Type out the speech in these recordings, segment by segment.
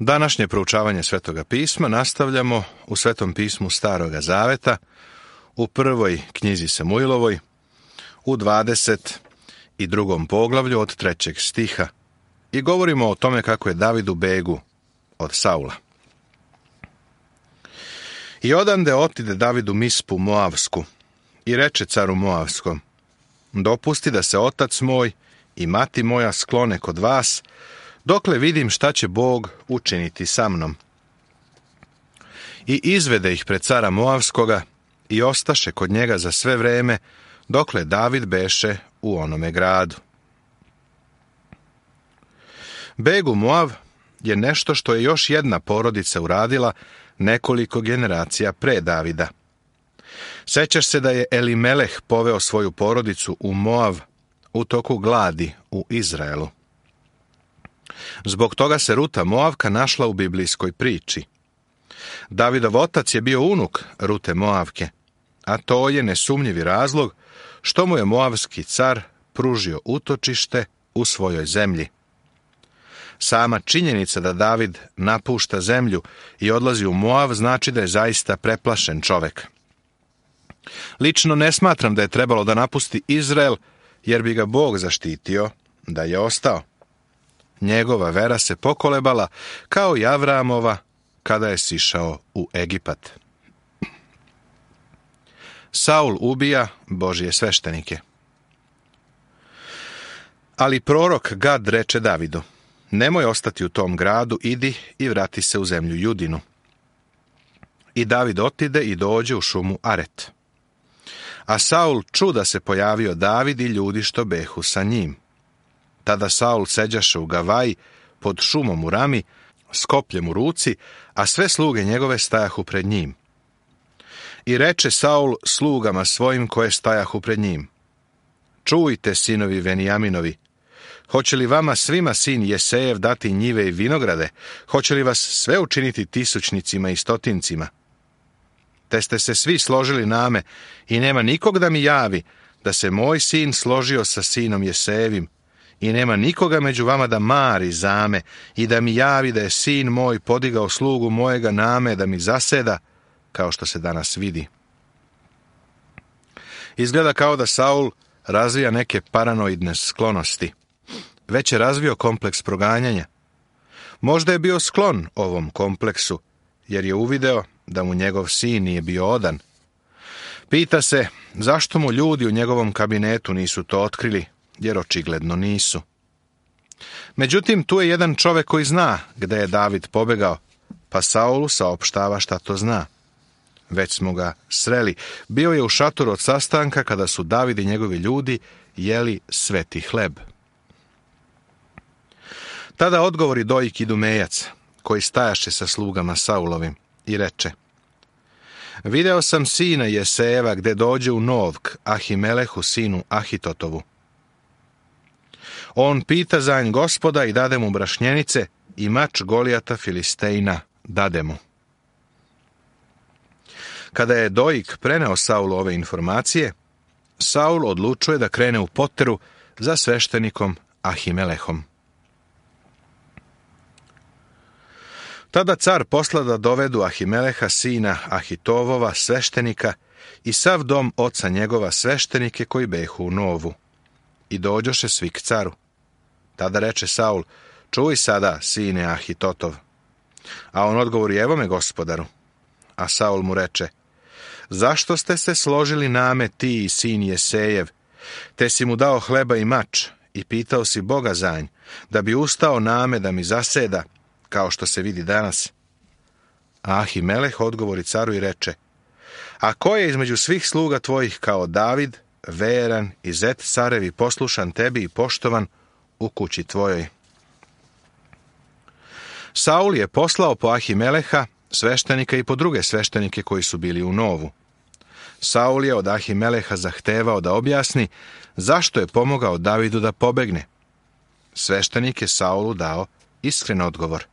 Današnje proučavanje Svetoga pisma nastavljamo u Svetom pismu Staroga Zaveta, u prvoj knjizi Samuilovoj, u 22. poglavlju od 3. stiha i govorimo o tome kako je David u begu od Saula. I odande otide David u Mispu Moavsku i reče caru Moavskom: dopusti da se otac moj i mati moja sklone kod vas, dokle vidim šta će Bog učiniti sa mnom. I izvede ih pred cara Moavskoga i ostaše kod njega za sve vreme, dokle David beše u onome gradu. Beg u Moav je nešto što je još jedna porodica uradila nekoliko generacija pre Davida. Sećaš se da je Elimeleh poveo svoju porodicu u Moav u toku gladi u Izraelu. Zbog toga se Ruta Moavka našla u biblijskoj priči. Davidov otac je bio unuk Rute Moavke, a to je nesumnjivi razlog što mu je moavski car pružio utočište u svojoj zemlji. Sama činjenica da David napušta zemlju i odlazi u Moav znači da je zaista preplašen čovek. Lično ne smatram da je trebalo da napusti Izrael, jer bi ga Bog zaštitio da je ostao. Njegova vera se pokolebala kao i Avramova kada je sišao u Egipat. Saul ubija Božje sveštenike. Ali prorok Gad reče Davidu: nemoj ostati u tom gradu, idi i vrati se u zemlju Judinu. I David otide i dođe u šumu Aret. A Saul ču da se pojavio David i ljudi što behu sa njim. Tada Saul seđaše u Gavaji pod šumom u rami, s kopljem u ruci, a sve sluge njegove stajahu pred njim. I reče Saul slugama svojim koje stajahu pred njim: čujte, sinovi Venijaminovi, hoće li vama svima sin Jesejev dati njive i vinograde? Hoće li vas sve učiniti tisućnicima i stotincima? Te ste se svi složili name i nema nikog da mi javi da se moj sin složio sa sinom Jesejevim, i nema nikoga među vama da mari zame i da mi javi da je sin moj podigao slugu mojega name da mi zaseda, kao što se danas vidi. Izgleda kao da Saul razvija neke paranoidne sklonosti. Već je razvio kompleks proganjanja. Možda je bio sklon ovom kompleksu, jer je uvideo da mu njegov sin nije bio odan. Pita se zašto mu ljudi u njegovom kabinetu nisu to otkrili, jer očigledno nisu. Međutim, tu je jedan čovek koji zna gde je David pobegao, pa Saulu saopštava šta to zna. Već smo ga sreli. Bio je u šatoru od sastanka kada su David i njegovi ljudi jeli sveti hleb. Tada odgovori Dojik Idumejac, koji stajaše sa slugama Saulovim, i reče: video sam sina Jesejeva gde dođe u Novk Ahimelehu sinu Ahitotovu. On pita za nj Gospoda i dade mu brašnjenice i mač Golijata Filistejna dade mu. Kada je Dojik preneo Saulu ove informacije, Saul odlučuje da krene u poteru za sveštenikom Ahimelehom. Tada car posla da dovedu Ahimeleha sina Ahitovova sveštenika i sav dom oca njegova sveštenike koji behu u Novu. I dođoše svi k caru. Tada reče Saul: čuj sada, sine Ahitotov. A on odgovori: evo me, gospodaru. A Saul mu reče: zašto ste se složili name ti i sin Jesejev, te si mu dao hleba i mač i pitao si Boga za nj, da bi ustao name da mi zaseda, kao što se vidi danas? A Ahimeleh odgovori caru i reče: a ko je između svih sluga tvojih kao David, veran i zet carevi, poslušan tebi i poštovan u kući tvojoj? Saul je poslao po Ahimeleha sveštenika i po druge sveštenike koji su bili u Novu. Saul je od Ahimeleha zahtevao da objasni zašto je pomogao Davidu da pobegne. Sveštenik je Saulu dao iskren odgovor.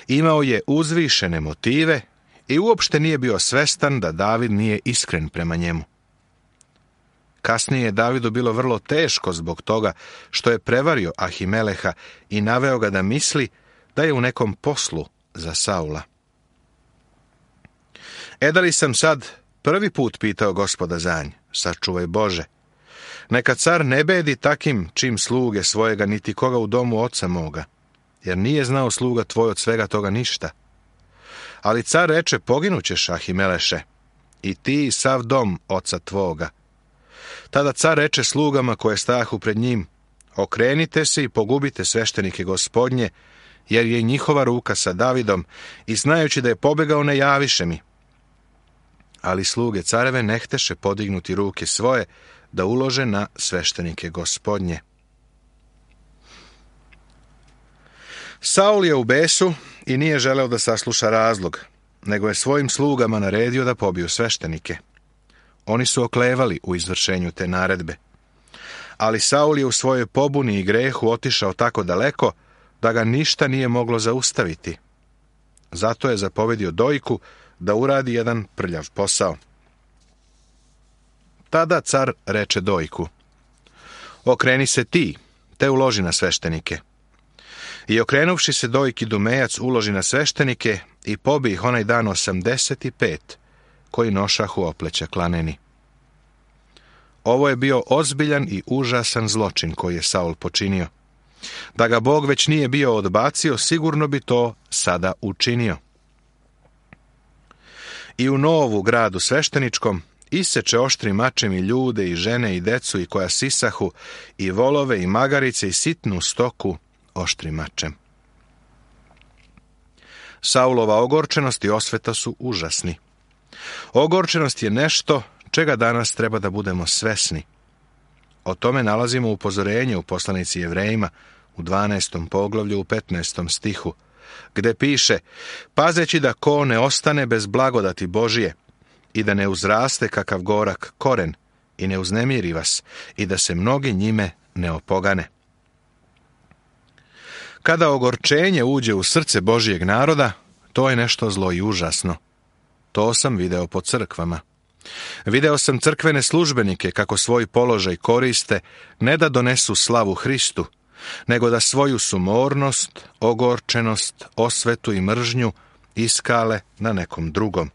Imao je uzvišene motive i uopšte nije bio svestan da David nije iskren prema njemu. Kasnije je Davidu bilo vrlo teško zbog toga što je prevario Ahimeleha i naveo ga da misli da je u nekom poslu za Saula. Da li sam sad prvi put pitao Gospoda za nj, sačuvaj Bože. Neka car ne bedi takim čim sluge svojega, niti koga u domu oca moga, jer nije znao sluga tvoj od svega toga ništa. Ali car reče, poginućeš, Ahimeleše, i ti i sav dom oca tvoga. Tada car reče slugama koje stajahu pred njim, okrenite se i pogubite sveštenike Gospodnje, jer je njihova ruka sa Davidom, i znajući da je pobegao ne javiše mi. Ali sluge careve nehteše podignuti ruke svoje da ulože na sveštenike Gospodnje. Saul je u besu i nije želeo da sasluša razlog, nego je svojim slugama naredio da pobiju sveštenike. Oni su oklevali u izvršenju te naredbe. Ali Saul je u svojoj pobuni i grehu otišao tako daleko da ga ništa nije moglo zaustaviti. Zato je zapovedio dojku da uradi jedan prljav posao. Tada car reče dojku, okreni se ti, te uloži na sveštenike. I okrenuvši se dojki Dumejac uloži na sveštenike i pobi ih onaj dan 85, koji nošahu opleća klaneni. Ovo je bio ozbiljan i užasan zločin koji je Saul počinio. Da ga Bog već nije bio odbacio, sigurno bi to sada učinio. I u Novu, gradu svešteničkom, iseče oštrim mačem i ljude i žene i decu i koja sisahu, i volove i magarice i sitnu stoku oštrim mačem. Saulova ogorčenost i osveta su užasni. Ogorčenost je nešto čega danas treba da budemo svesni. O tome nalazimo upozorenje u poslanici Jevrejima u 12. poglavlju u 15. stihu, gde piše, pazeći da ko ne ostane bez blagodati Božije i da ne uzraste kakav gorak koren i ne uznemiri vas i da se mnogi njime ne opogane. Kada ogorčenje uđe u srce Božijeg naroda, to je nešto zlo i užasno. To sam video po crkvama. Video sam crkvene službenike kako svoj položaj koriste ne da donesu slavu Hristu, nego da svoju sumornost, ogorčenost, osvetu i mržnju iskale na nekom drugom.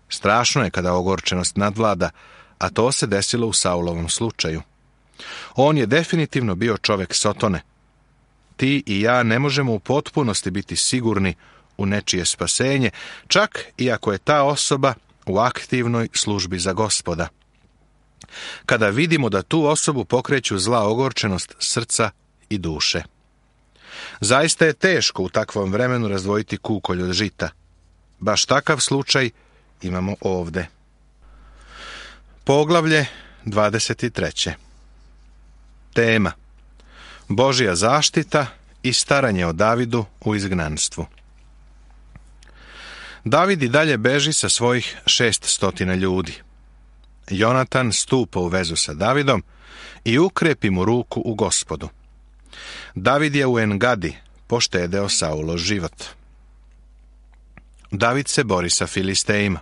Strašno je kada ogorčenost nadvlada, a to se desilo u Saulovom slučaju. On je definitivno bio čovek Sotone. Ti i ja ne možemo u potpunosti biti sigurni u nečije spasenje, čak i ako je ta osoba u aktivnoj službi za Gospoda. Kada vidimo da tu osobu pokreću zla ogorčenost srca i duše. Zaista je teško u takvom vremenu razdvojiti kukolj od žita. Baš takav slučaj imamo ovde. Poglavlje 23. Tema: Božja zaštita i staranje o Davidu u izgnanstvu. David i dalje beži sa svojih 600 ljudi. Jonatan stupa u vezu sa Davidom i ukrepi mu ruku u Gospodu. David je u Engadi poštedeo Saulov život. David se bori sa Filistejima.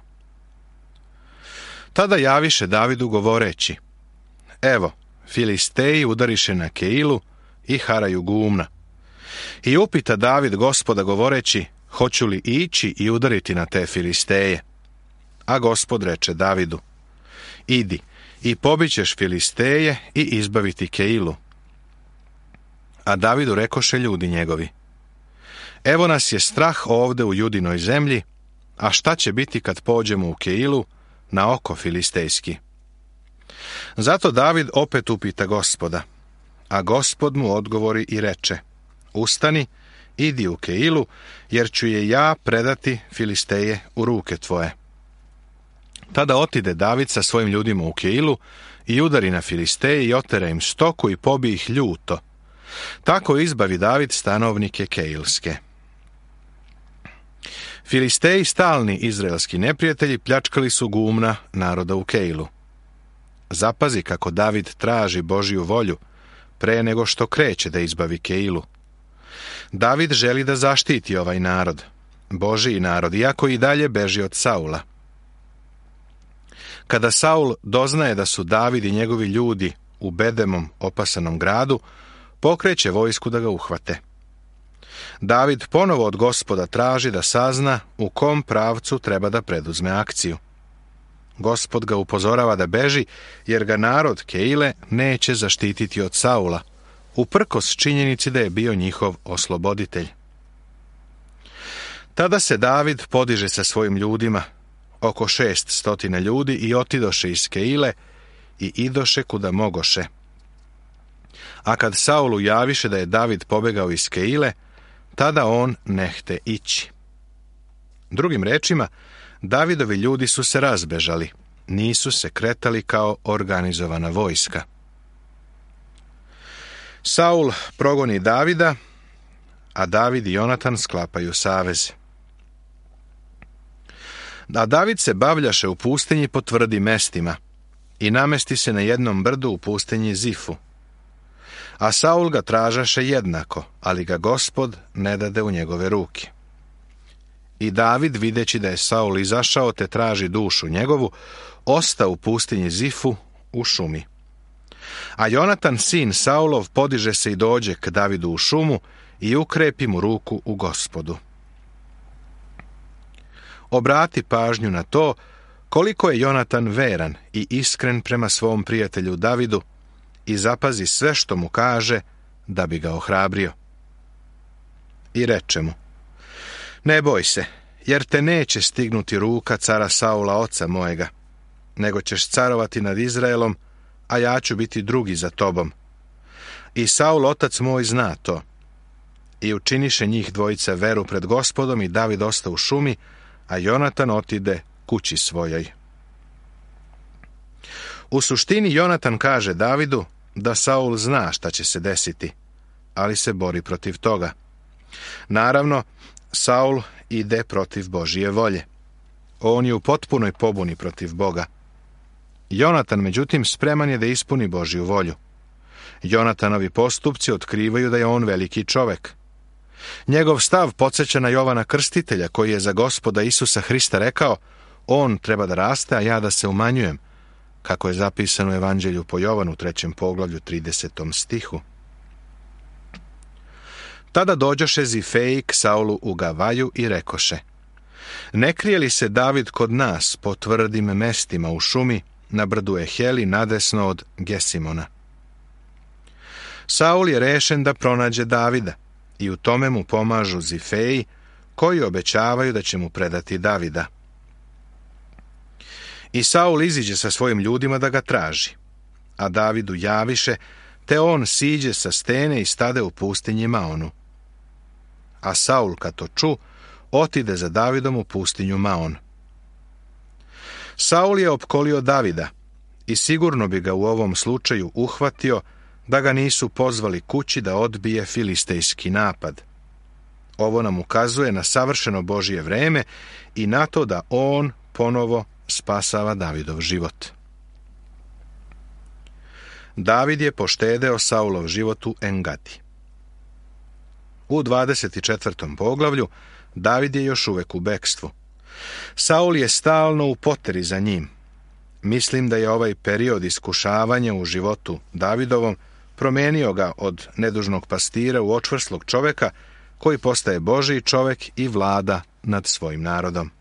Tada javiše Davidu govoreći, evo, Filisteji udariše na Keilu i haraju gumna. I upita David Gospoda govoreći, hoću li ići i udariti na te Filisteje? A Gospod reče Davidu, idi i pobićeš Filisteje i izbaviti Keilu. A Davidu rekoše ljudi njegovi, evo nas je strah ovde u Judinoj zemlji, a šta će biti kad pođemo u Keilu na oko filistejski? Zato David opet upita Gospoda, a Gospod mu odgovori i reče, ustani, idi u Keilu, jer ću je ja predati Filisteje u ruke tvoje. Tada otide David sa svojim ljudima u Keilu i udari na Filisteje i otera im stoku i pobi ih ljuto. Tako izbavi David stanovnike Keilske. Filisteji, stalni izraelski neprijatelji, pljačkali su gumna naroda u Keilu. Zapazi kako David traži Božju volju pre nego što kreće da izbavi Keilu. David želi da zaštiti ovaj narod, Božji narod, iako i dalje beži od Saula. Kada Saul doznaje da su David i njegovi ljudi u bedemom opasanom gradu, pokreće vojsku da ga uhvate. David ponovo od Gospoda traži da sazna u kom pravcu treba da preduzme akciju. Gospod ga upozorava da beži, jer ga narod Keile neće zaštititi od Saula, uprkos činjenici da je bio njihov osloboditelj. Tada se David podiže sa svojim ljudima, oko 600 ljudi, i otidoše iz Keile i idoše kuda mogoše. A kad Saulu javiše da je David pobegao iz Keile, tada on nehte ići. Drugim rečima, Davidovi ljudi su se razbežali, nisu se kretali kao organizovana vojska. Saul progoni Davida, a David i Jonatan sklapaju savez. A David se bavljaše u pustinji po tvrdim mestima i namesti se na jednom brdu u pustinji Zifu. A Saul ga tražaše jednako, ali ga Gospod ne dade u njegove ruke. I David, videći da je Saul izašao te traži dušu njegovu, ostao u pustinji Zifu u šumi. A Jonatan, sin Saulov, podiže se i dođe k Davidu u šumu i ukrepi mu ruku u Gospodu. Obrati pažnju na to koliko je Jonatan veran i iskren prema svom prijatelju Davidu i zapazi sve što mu kaže da bi ga ohrabrio. I reče mu: ne boj se, jer te neće stignuti ruka cara Saula oca mojega, nego ćeš carovati nad Izraelom, a ja ću biti drugi za tobom. I Saul otac moj zna to. I učiniše njih dvojica veru pred Gospodom i David ostao u šumi, a Jonatan otide kući svojoj. U suštini Jonatan kaže Davidu da Saul zna šta će se desiti, ali se bori protiv toga. Naravno, Saul ide protiv Božije volje. On je u potpunoj pobuni protiv Boga. Jonatan, međutim, spreman je da ispuni Božju volju. Jonatanovi postupci otkrivaju da je on veliki čovek. Njegov stav podsjeća na Jovana Krstitelja, koji je za Gospoda Isusa Hrista rekao: on treba da raste, a ja da se umanjujem, kako je zapisano u Evanđelju po Jovanu 3. poglavlju 30. stihu. Tada dođoše Zifeji k Saulu u Gavaju i rekoše: ne krije li se David kod nas po tvrdim mestima u šumi na brdu Eheli nadesno od Gesimona? Saul je rešen da pronađe Davida i u tome mu pomažu Zifeji, koji obećavaju da će mu predati Davida. I Saul iziđe sa svojim ljudima da ga traži, a Davidu javiše, te on siđe sa stene i stade u pustinji Maonu. A Saul, kad to ču, otide za Davidom u pustinju Maon. Saul je opkolio Davida i sigurno bi ga u ovom slučaju uhvatio da ga nisu pozvali kući da odbije filistejski napad. Ovo nam ukazuje na savršeno Božje vreme i na to da on ponovo spasava Davidov život. David je poštedeo Saulov život u Engadi. U 24. poglavlju David je još uvek u bekstvu. Saul je stalno u poteri za njim. Mislim da je ovaj period iskušavanja u životu Davidovom promenio ga od nedužnog pastira u očvrslog čoveka koji postaje Božji čovek i vlada nad svojim narodom.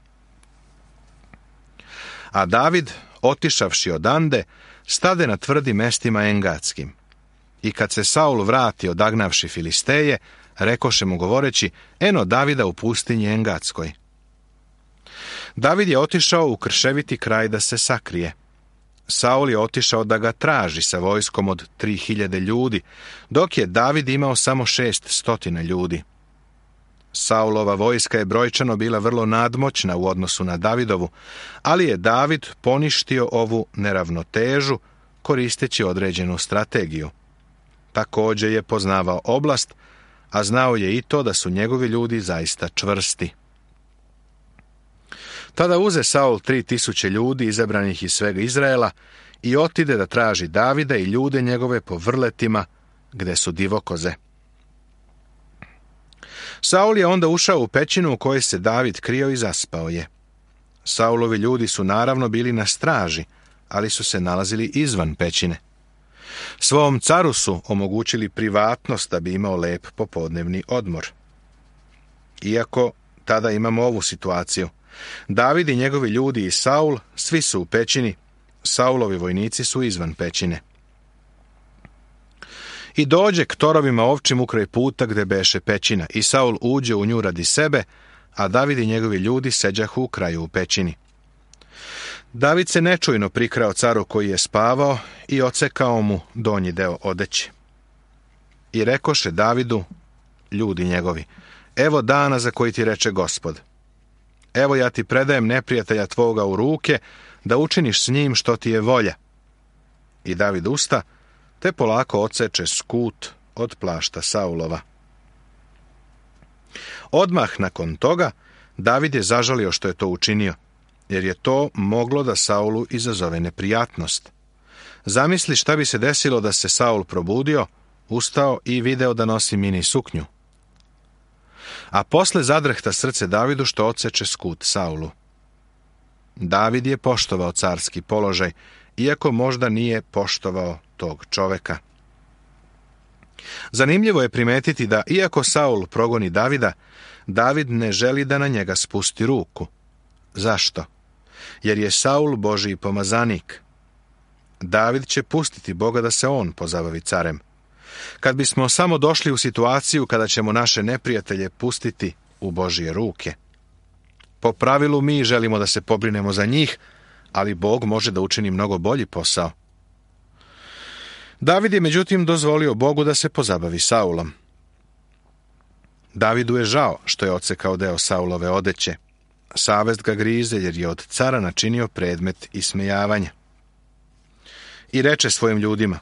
A David, otišavši odande, stade na tvrdim mestima engadskim. I kad se Saul vrati odagnavši Filisteje, rekoše mu govoreći: eno Davida u pustinji engadskoj. David je otišao u krševiti kraj da se sakrije. Saul je otišao da ga traži sa vojskom od 3000 ljudi, dok je David imao samo 600 ljudi. Saulova vojska je brojčano bila vrlo nadmoćna u odnosu na Davidovu, ali je David poništio ovu neravnotežu koristeći određenu strategiju. Također je poznavao oblast, a znao je i to da su njegovi ljudi zaista čvrsti. Tada uze Saul 3000 ljudi izabranih iz svega Izraela i otide da traži Davida i ljude njegove po vrletima gde su divokoze. Saul je onda ušao u pećinu u kojoj se David krio i zaspao je. Saulovi ljudi su naravno bili na straži, ali su se nalazili izvan pećine. Svom caru su omogućili privatnost da bi imao lep popodnevni odmor. Iako tada imamo ovu situaciju. David i njegovi ljudi i Saul, svi su u pećini, Saulovi vojnici su izvan pećine. I dođe k torovima ovčim ukraj puta gde beše pećina, i Saul uđe u nju radi sebe, a David i njegovi ljudi seđahu u kraju u pećini. David se nečujno prikrao caru koji je spavao i ocekao mu donji deo odeće. I rekoše Davidu ljudi njegovi: evo dana za koji ti reče Gospod. Evo ja ti predajem neprijatelja tvoga u ruke, da učiniš s njim što ti je volja. I David usta, te polako odseče skut od plašta Saulova. Odmah nakon toga David je zažalio što je to učinio, jer je to moglo da Saulu izazove neprijatnost. Zamisli šta bi se desilo da se Saul probudio, ustao i video da nosi mini suknju. A posle zadrhta srce Davidu što odseče skut Saulu. David je poštovao carski položaj, iako možda nije poštovao tog čoveka. Zanimljivo je primetiti da, iako Saul progoni Davida, David ne želi da na njega spusti ruku. Zašto? Jer je Saul Božji pomazanik. David će pustiti Boga da se on pozabavi carem. Kad bismo samo došli u situaciju kada ćemo naše neprijatelje pustiti u Božje ruke. Po pravilu mi želimo da se pobrinemo za njih, ali Bog može da učini mnogo bolji posao. David je međutim dozvolio Bogu da se pozabavi Saulom. Davidu je žao što je odsekao deo Saulove odeće. Savest ga grize jer je od cara načinio predmet ismejavanja. I reče svojim ljudima: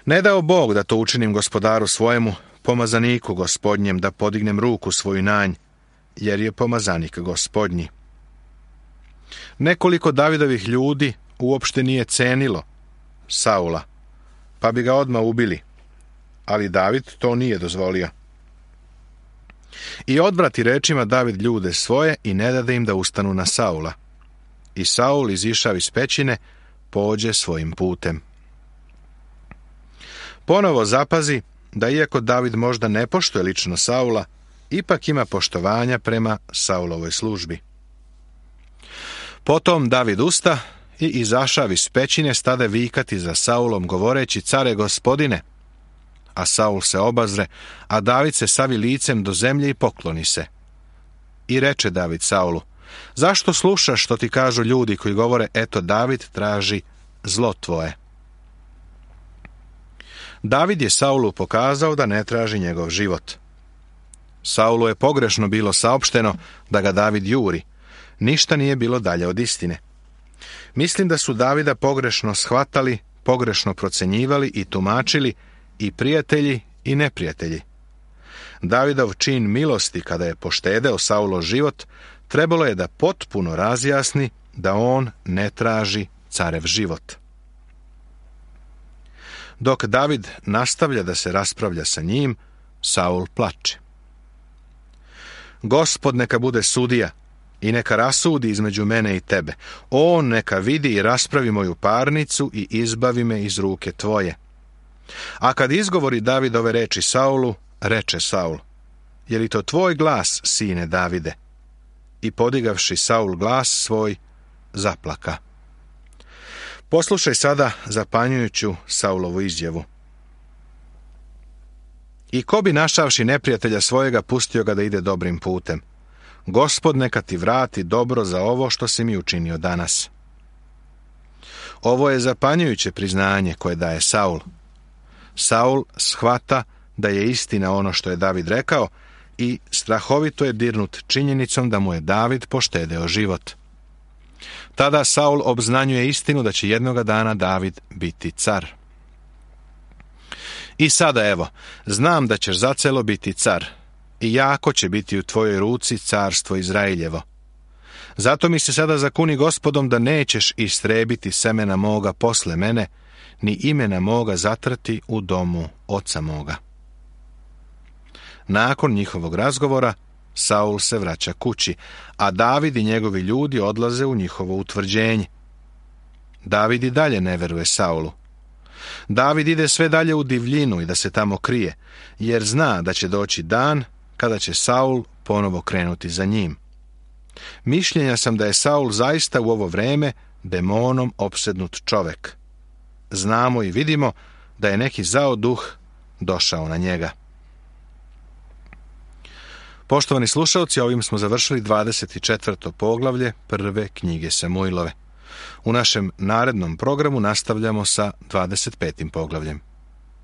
ne dao Bog da to učinim gospodaru svojemu, pomazaniku gospodnjem, da podignem ruku svoju na nj, jer je pomazanik gospodnji. Nekoliko Davidovih ljudi uopšte nije cenilo Saula, pa bi ga odmah ubili, ali David to nije dozvolio. I odvrati rečima David ljude svoje i ne dade im da ustanu na Saula. I Saul, izišav iz pećine, pođe svojim putem. Ponovo zapazi da iako David možda ne poštuje lično Saula, ipak ima poštovanja prema Saulovoj službi. Potom David usta i izašav iz pećine, stade vikati za Saulom, govoreći: care gospodine. A Saul se obazre, a David se savi licem do zemlje i pokloni se. I reče David Saulu: zašto slušaš što ti kažu ljudi koji govore: eto, David traži zlo tvoje? David je Saulu pokazao da ne traži njegov život. Saulu je pogrešno bilo saopšteno da ga David juri. Ništa nije bilo dalje od istine. Mislim da su Davida pogrešno shvatali, pogrešno procenjivali i tumačili i prijatelji i neprijatelji. Davidov čin milosti kada je poštedeo Saulov život trebalo je da potpuno razjasni da on ne traži carev život. Dok David nastavlja da se raspravlja sa njim, Saul plače. Gospod neka bude sudija i neka rasudi između mene i tebe. On neka vidi i raspravi moju parnicu i izbavi me iz ruke tvoje. A kad izgovori David ove reči Saulu, reče Saul: je li to tvoj glas, sine Davide? I podigavši Saul glas svoj, zaplaka. Poslušaj sada zapanjujuću Saulovu izjavu. I ko bi našavši neprijatelja svojega pustio ga da ide dobrim putem? Gospod neka ti vrati dobro za ovo što si mi učinio danas. Ovo je zapanjujuće priznanje koje daje Saul. Saul shvata da je istina ono što je David rekao i strahovito je dirnut činjenicom da mu je David poštedeo život. Tada Saul obznanjuje istinu da će jednoga dana David biti car. I sada evo, znam da ćeš zacelo biti car i jako će biti u tvojoj ruci carstvo Izraeljevo. Zato mi se sada zakuni Gospodom da nećeš istrebiti semena moga posle mene, ni imena moga zatrti u domu oca moga. Nakon njihovog razgovora, Saul se vraća kući, a David i njegovi ljudi odlaze u njihovo utvrđenje. David i dalje ne veruje Saulu. David ide sve dalje u divljinu i da se tamo krije, jer zna da će doći dan kada će Saul ponovo krenuti za njim. Mišljenja sam da je Saul zaista u ovo vreme demonom opsednut čovek. Znamo i vidimo da je neki zao duh došao na njega. Poštovani slušalci, ovim smo završili 24. poglavlje prve knjige Samuilove. U našem narednom programu nastavljamo sa 25. poglavljem.